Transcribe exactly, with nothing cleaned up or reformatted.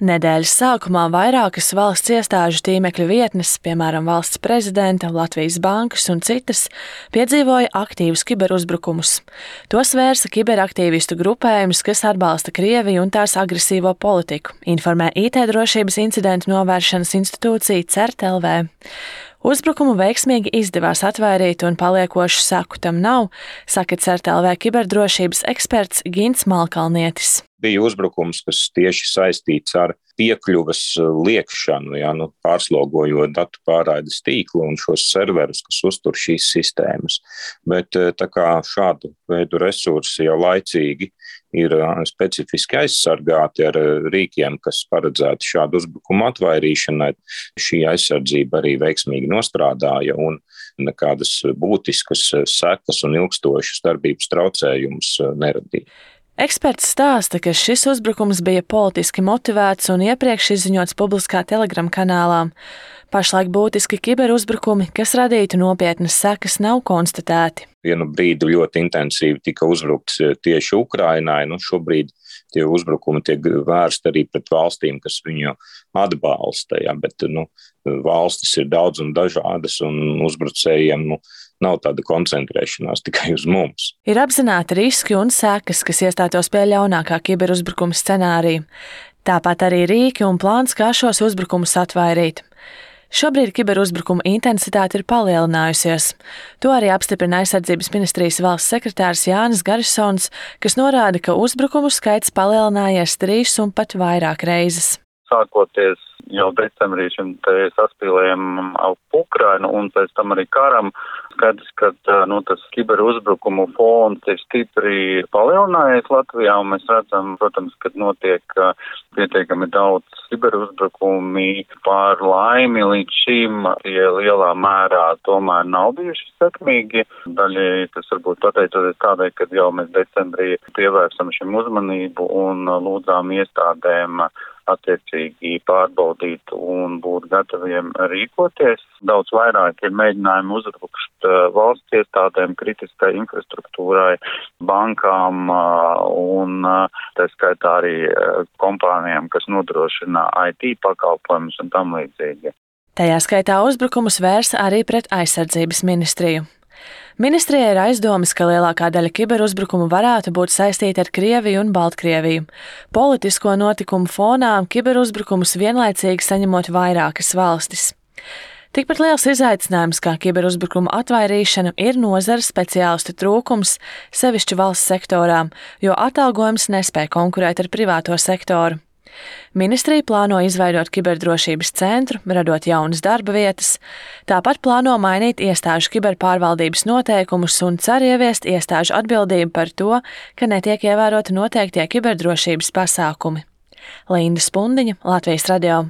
Nedēļas sākumā vairākas valsts iestāžu tīmekļa vietnes, piemēram, Valsts prezidenta, Latvijas bankas un citas, piedzīvoja aktīvus kiberuzbrukumus. Tos vērsa kiberaktīvistu grupējums, kas atbalsta Krieviju un tās agresīvo politiku, informē I T drošības incidentu novēršanas institūcija CERT L V. Uzbrukumu veiksmīgi izdevās atvairīt un paliekošu seku tam nav, saka CERT L V kiberdrošības eksperts Gints Malkalnietis. Bija uzbrukums, kas tieši saistīts ar piekļuves liekšanu, ja, nu, pārslogojot datu pārraides tīklu un šos serverus, kas uztur šīs sistēmas. Bet tā kā šādu veidu resursi jau laicīgi ir specifiski aizsargāti ar rīkiem, kas paredzēti šādu uzbrukumu atvairīšanai, šī aizsardzība arī veiksmīgi nostrādāja un nekādas būtiskas sekas un ilgstošas darbības traucējumus neradīja. Eksperts stāsta, ka šis uzbrukums bija politiski motivēts un iepriekš izziņots publiskā Telegram kanālā. Pašlaik būtiski kiberuzbrukumi, kas radītu nopietnas sekas, nav konstatēti. Vienu brīdi ļoti intensīvi tika uzbrukts tieši Ukrainai, nu šobrīd tie uzbrukumi tiek vērsti arī pret valstīm, kas viņu atbalsta, ja, bet nu, valstis ir daudz un dažādas un uzbrucējiem nu, nav tāda koncentrēšanās tikai uz mums. Ir apzināti riski un sekas, kas iestātos pie ļaunākā kiberuzbrukuma scenārija. Tāpat arī rīki un plāns, kā šos uzbrukumus atvairīt. Šobrīd kiberuzbrukuma intensitāte ir palielinājusies. To arī apstiprina Aizsardzības ministrijas valsts sekretārs Jānis Garisons, kas norāda, ka uzbrukumu skaits palielinājies trīs un pat vairāk reizes. Sākoties jau decembrī šim saspīlējumam ap Ukrainu un pēc tam arī karam, skaidrs, ka nu, tas kiberuzbrukumu fons ir stipri palielinājies Latvijā, un mēs redzam, protams, ka notiek pietiekami daudz kiberuzbrukumi. Par laimi līdz šim tie lielā mērā tomēr nav bijuši sekmīgi. Daļai tas varbūt pateicoties tādai, kad jau mēs decembrī pievērsam šim uzmanību un lūdzām iestādēm attiecīgi pārbaudīt un būt gataviem rīkoties. Daudz vairāk ir mēģinājumi uzbrukt valsts iestādēm, kritiskai infrastruktūrai, bankām un tā skaitā arī kompānijām, kas nodrošina I T pakalpojumus un tam līdzīgi. Tajā skaitā uzbrukumus vērsa arī pret Aizsardzības ministriju. Ministrijai ir aizdomas, ka lielākā daļa kiberuzbrukumu varētu būt saistīta ar Krieviju un Baltkrieviju. Politisko notikumu fonā kiberuzbrukumus vienlaicīgi saņemot vairākas valstis. Tikpat liels izaicinājums kā kiberuzbrukuma atvairīšana ir nozares speciālistu trūkums, sevišķi valsts sektorā, jo atalgojums nespēj konkurēt ar privāto sektoru. Ministrija plāno izveidot kiberdrošības centru, radot jaunas darba vietas, tāpat plāno mainīt iestāžu kiberpārvaldības noteikumus un cer ieviest iestāžu atbildību par to, ka netiek ievēroti noteiktie kiberdrošības pasākumi. Linda Spundiņa, Latvijas radio.